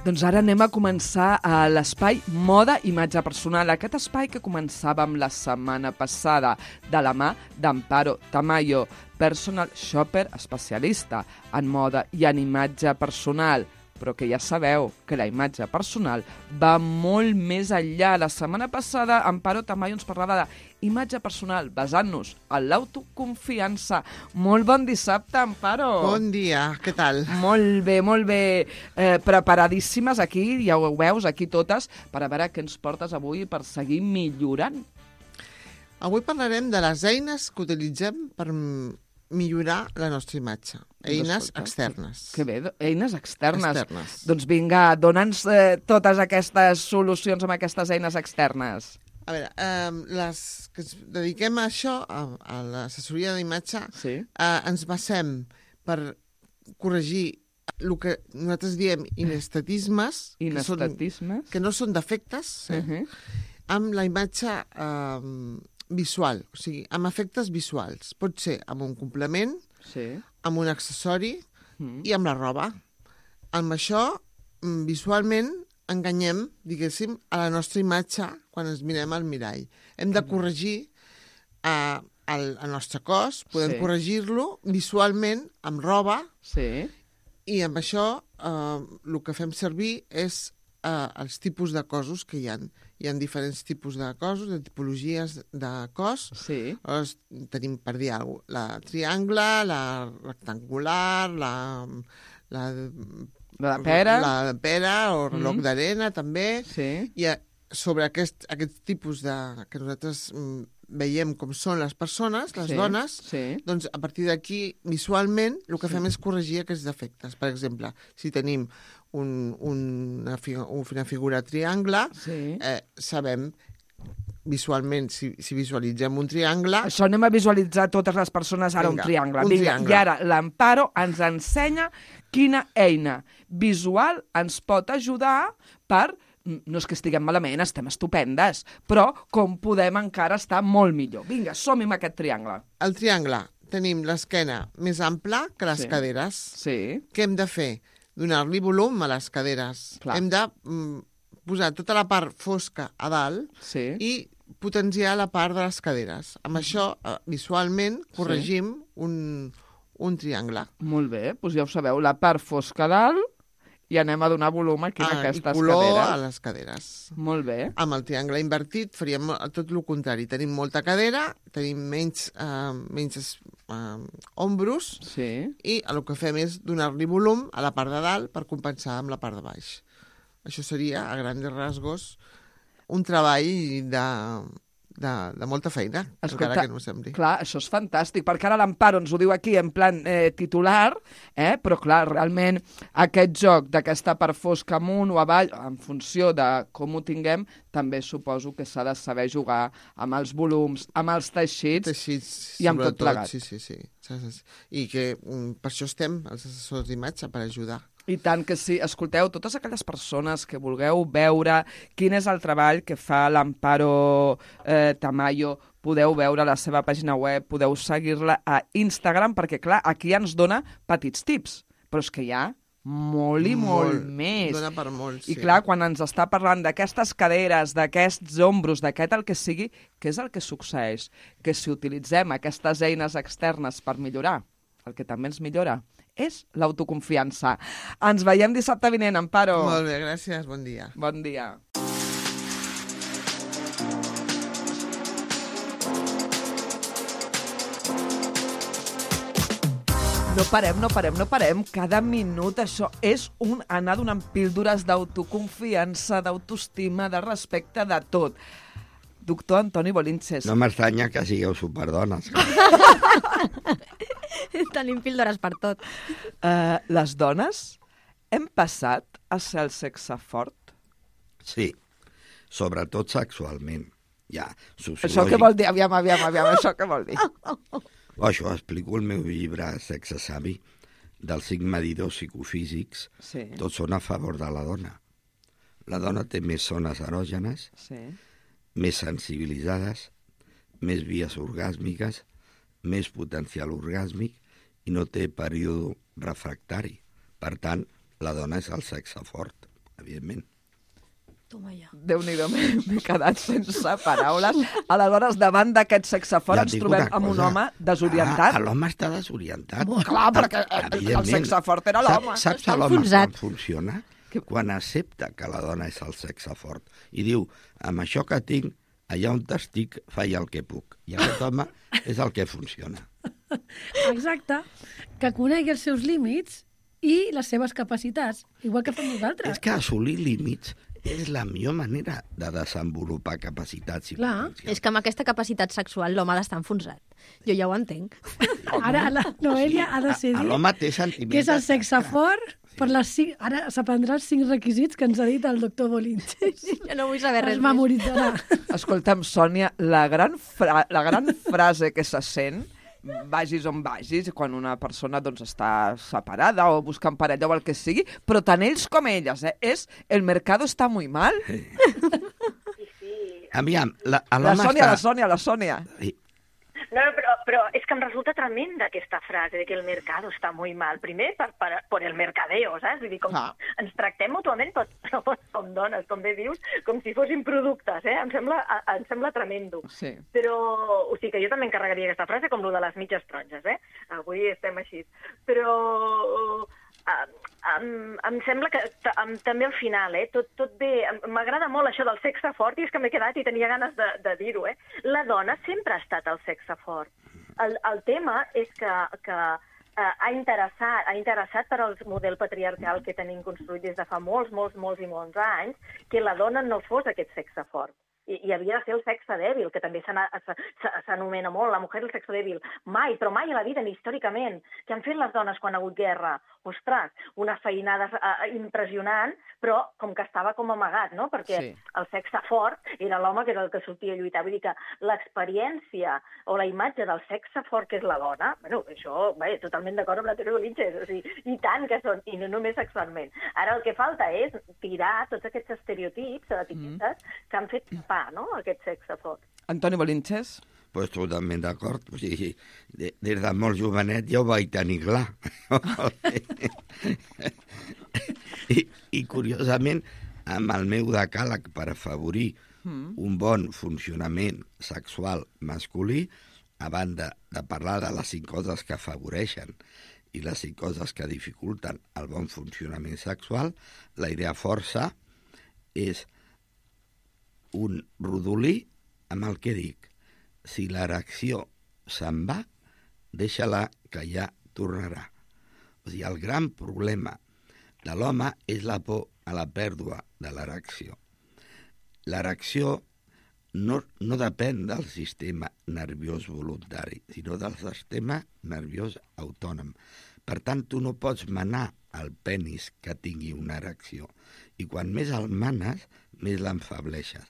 Doncs ara anem a començar a l'espai Moda i Imatge Personal. Aquest espai que començàvem la setmana passada de la mà d'Amparo Tamayo, personal shopper especialista en moda i en imatge personal. Però que ja sabeu que la imatge personal va molt més enllà. La setmana passada Amparo Tamayo ens parlava d'imatge personal basant-nos en l'autoconfiança. Molt bon dissabte, Amparo. Bon dia, què tal? Molt bé, molt bé. Preparadíssimes aquí, ja ho veus, aquí totes, per a veure què ens portes avui per seguir millorant. Avui parlarem de les eines que utilitzem per millorar la nostra imatge. Eines externes. Que bé, eines externes. Doncs vinga, dona'ns totes aquestes solucions amb aquestes eines externes. A veure, les que ens dediquem a això, a l'assessoria d'imatge, sí, ens basem per corregir el que nosaltres diem inestatismes, que no són defectes, amb la imatge visual, o sigui, amb efectes visuals. Pot ser amb un complement, sí, amb un accessori i amb la roba. Amb això, visualment, enganyem, diguéssim, a la nostra imatge quan ens mirem al mirall. Hem de corregir el nostre cos, podem corregir-lo visualment amb roba, sí, i amb això el que fem servir és els tipus de cossos que hi ha. Hi ha diferents tipus de cossos, de tipologies de cos. Sí. Tenim, per dir alguna cosa, la triangle, la rectangular, la de pera. La de pera o reloj d'arena, també. Sí. I sobre aquest tipus que nosaltres veiem com són les persones, les dones, doncs a partir d'aquí, visualment, el que fem és corregir aquests defectes. Per exemple, si tenim una figura triangle, sabem visualment, si visualitzem un triangle... Això anem a visualitzar totes les persones ara un triangle. I ara l'Amparo ens ensenya quina eina visual ens pot ajudar per... No és que estiguem malament, estem estupendes, però com podem encara estar molt millor. Vinga, som-hi amb aquest triangle. El triangle, tenim l'esquena més ampla que les caderes. Sí. Què hem de fer? Donar-li volum a les caderes. Clar. Hem de posar tota la part fosca a dalt i potenciar la part de les caderes. Amb això, visualment, corregim un triangle. Molt bé, doncs ja ho sabeu, la part fosca a dalt, i anem a donar volum aquí en aquestes caderes. I color a les caderes. Molt bé. Amb el triangle invertit faríem tot el contrari. Tenim molta cadera, tenim menys ombros, i el que fem és donar-li volum a la part de dalt per compensar amb la part de baix. Això seria, a grans rasgos, un treball de molta feina, encara que no ho sembli. Clar, això és fantàstic, perquè ara l'Amparo ens ho diu aquí en plan titular, però clar, realment aquest joc d'aquesta part fosca amunt o avall, en funció de com ho tinguem, també suposo que s'ha de saber jugar amb els volums, amb els teixits i amb tot plegat. Sí. I que per això estem, els assessors d'imatge, per ajudar. I tant que sí. Escolteu, totes aquelles persones que vulgueu veure quin és el treball que fa l'Amparo Tamayo, podeu veure la seva pàgina web, podeu seguir-la a Instagram, perquè, clar, aquí ens dona petits tips, però és que hi ha molt i molt més. Dona per molt, sí. I clar, quan ens està parlant d'aquestes caderes, d'aquests ombros, d'aquest el que sigui, què és el que succeeix? Que si utilitzem aquestes eines externes per millorar, el que també ens millora és l'autoconfiança. Ens veiem dissabte vinent, Amparo. Molt bé, gràcies. Bon dia. Bon dia. No parem. Cada minut això és anar donant píldores d'autoconfiança, d'autoestima, de respecte, de tot. Doctor Antoni Bolinches. No m'estranya que sigueu superdones. Tenim píldores per tot. Les dones hem passat a ser el sexe fort? Sí, sobretot sexualment. Ja, sociològic. Això què vol dir? Aviam, això què vol dir? Això ho explico al meu llibre Sexe Savi, dels 5 medidors psicofísics. Sí. Tots són a favor de la dona. La dona té més zones erògenes, més sensibilitzades, més vies orgàsmiques, més potencial orgàsmic i no té període refractari. Per tant, la dona és el sexe fort, evidentment. Déu-n'hi-do, m'he quedat sense paraules. Aleshores, davant d'aquest sexe fort ens trobem amb un home desorientat. L'home està desorientat. Clar, perquè el sexe fort era l'home. Saps l'home com funciona? Quan accepta que la dona és el sexe fort i diu, amb això que tinc, allà on estic, faig el que puc. I aquest home és el que funciona. Exacte. Que conegui els seus límits i les seves capacitats, igual que fem nosaltres. És que assolir límits és la millor manera de desenvolupar capacitats i potencials. És que amb aquesta capacitat sexual l'home ha d'estar enfonsat. Jo ja ho entenc. Ara la Noelia ha de decidir l'home té sentiments. Què és el sexe fort? Ara s'aprendrà els 5 requisits que ens ha dit el doctor Bolinches. Jo no vull saber res més. Es memoritzarà. Escolta'm, Sònia, la gran frase que se sent, vagis on vagis, quan una persona està separada o buscant parella o el que sigui, però tant ells com elles, és el mercado està muy mal. Aviam, la Sònia. No, però és que em resulta tremenda aquesta frase de que el mercado està muy mal. Primer, per el mercadeo, saps? Vull dir, com ens tractem mútuament, però com dones, com bé dius, com si fossin productes, Em sembla tremendo. Sí. Però, o sigui que jo també encarregaria aquesta frase com lo de les mitges taronges, Avui estem així. Però em sembla que també al final, tot bé, m'agrada molt això del sexe fort i és que m'he quedat i tenia ganes de dir-ho, La dona sempre ha estat el sexe fort. El tema és que ha interessat per al model patriarcal que tenim construït des de fa molts anys que la dona no fos aquest sexe fort. I havia de ser el sexe dèbil, que també s'anomena molt, la mujer el sexe dèbil. Però mai a la vida, ni històricament. Què han fet les dones quan ha hagut guerra? Ostres, una feinada impressionant, però com que estava com amagat, no? Perquè el sexe fort era l'home que era el que sortia a lluitar. Vull dir que l'experiència o la imatge del sexe fort que és la dona, això, totalment d'acord amb la teoria Bolinches, o sigui, i tant que són, i no només sexualment. Ara el que falta és tirar tots aquests estereotips, etiquetes, que han fet aquest sexe fort. Antoni Bolinches? Pues totalment d'acord. O sigui, des de molt jovenet ja ho vaig tenir clar. I curiosament, amb el meu decàleg per afavorir un bon funcionament sexual masculí, a banda de parlar de les 5 coses que afavoreixen i les 5 coses que dificulten el bon funcionament sexual, la idea força és un rodolí amb el que dic, si l'erecció se'n va, deixa-la que ja tornarà. O sigui, el gran problema de l'home és la por a la pèrdua de l'erecció. L'erecció no depèn del sistema nerviós voluntari, sinó del sistema nerviós autònom. Per tant, tu no pots manar el penis que tingui una erecció. I quan més el manes, més l'enfableixes.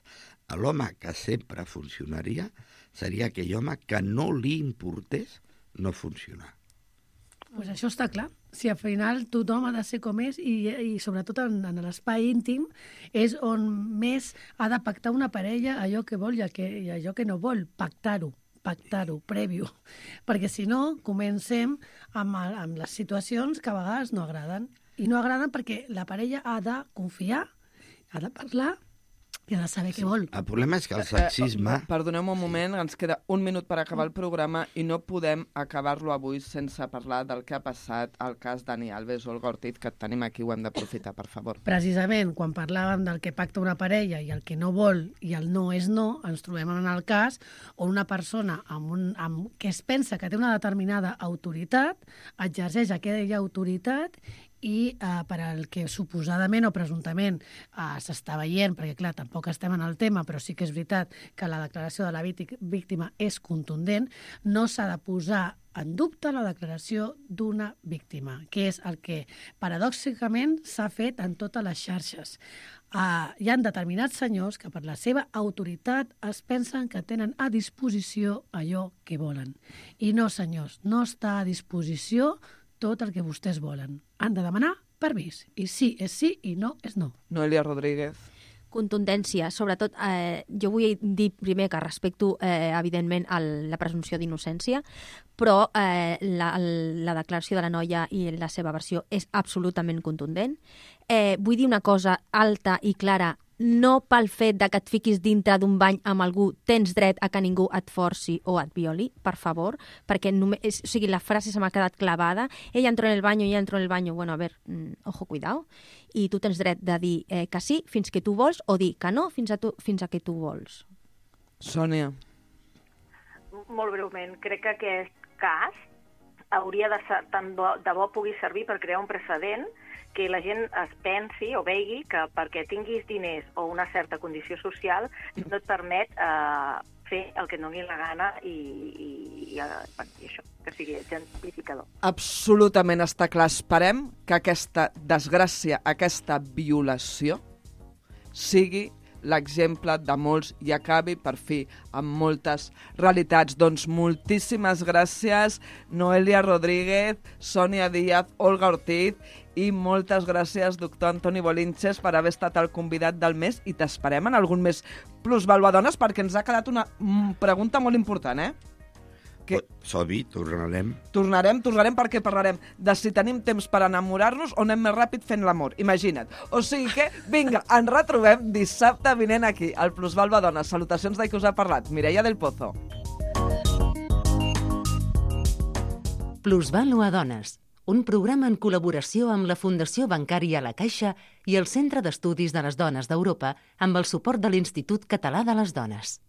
L'home que sempre funcionaria seria aquell home que no li importés no funcionar. Pues això està clar. Si al final tothom ha de ser com és i sobretot en l'espai íntim és on més ha de pactar una parella allò que vol i allò que no vol, pactar-ho, prèvio. Perquè si no, comencem amb les situacions que a vegades no agraden. I no agraden perquè la parella ha de confiar, ha de parlar i ha de saber què vol. El problema és que el sexisme... Perdoneu un moment, ens queda un minut per acabar el programa i no podem acabar-lo avui sense parlar del que ha passat al cas Dani Alves o Olga Ortiz, que tenim aquí, ho hem d'aprofitar, per favor. Precisament, quan parlàvem del que pacta una parella i el que no vol i el no és no, ens trobem en el cas on una persona que es pensa que té una determinada autoritat exerceix aquella autoritat i per al que suposadament o presumptament s'està veient, perquè clar, tampoc estem en el tema, però sí que és veritat que la declaració de la víctima és contundent, no s'ha de posar en dubte la declaració d'una víctima, que és el que paradoxicament s'ha fet en totes les xarxes. Hi ha determinats senyors que per la seva autoritat es pensen que tenen a disposició allò que volen. I no, senyors, no està a disposició tot el que vostès volen. Han de demanar permís. I sí és sí i no és no. Noelia Rodríguez. Contundència. Sobretot, jo vull dir primer que respecto, evidentment, la presumpció d'innocència, però la declaració de la noia i la seva versió és absolutament contundent. Vull dir una cosa alta i clara. No pel fet de que et fiquis dintre d'un bany amb algú tens dret a que ningú et forci o et violi, per favor, perquè la frase se m'ha quedat clavada. Ella entró en el baño, ella entró en el baño. Bueno, a ver, ojo, cuidado. I tu tens dret de dir que sí fins que tu vols o dir que no fins a que tu vols. Sònia. Molt breument, crec que aquest cas hauria de ser, tant de bo pugui servir per crear un precedent que la gent es pensi o vegi que perquè tinguis diners o una certa condició social no et permet fer el que et doni la gana i això, que sigui exemplificador. Absolutament està clar. Esperem que aquesta desgràcia, aquesta violació, sigui l'exemple de molts i acabi, per fi, amb moltes realitats. Doncs moltíssimes gràcies, Noelia Rodríguez, Sònia Díaz, Olga Ortiz, i moltes gràcies, doctor Antoni Bolinches, per haver estat el convidat del mes, i t'esperem en algun més Plusvaluadones, perquè ens ha quedat una pregunta molt important, Sobi, tornarem. Tornarem perquè parlarem de si tenim temps per enamorar-nos o anem més ràpid fent l'amor. Imagina't. O sigui que, vinga, ens retrobem dissabte vinent aquí, al Plusvaluadones. Salutacions de qui us ha parlat, Mireia del Pozo. Plusvaluadones, un programa en col·laboració amb la Fundació Bancària La Caixa i el Centre d'Estudis de les Dones d'Europa amb el suport de l'Institut Català de les Dones.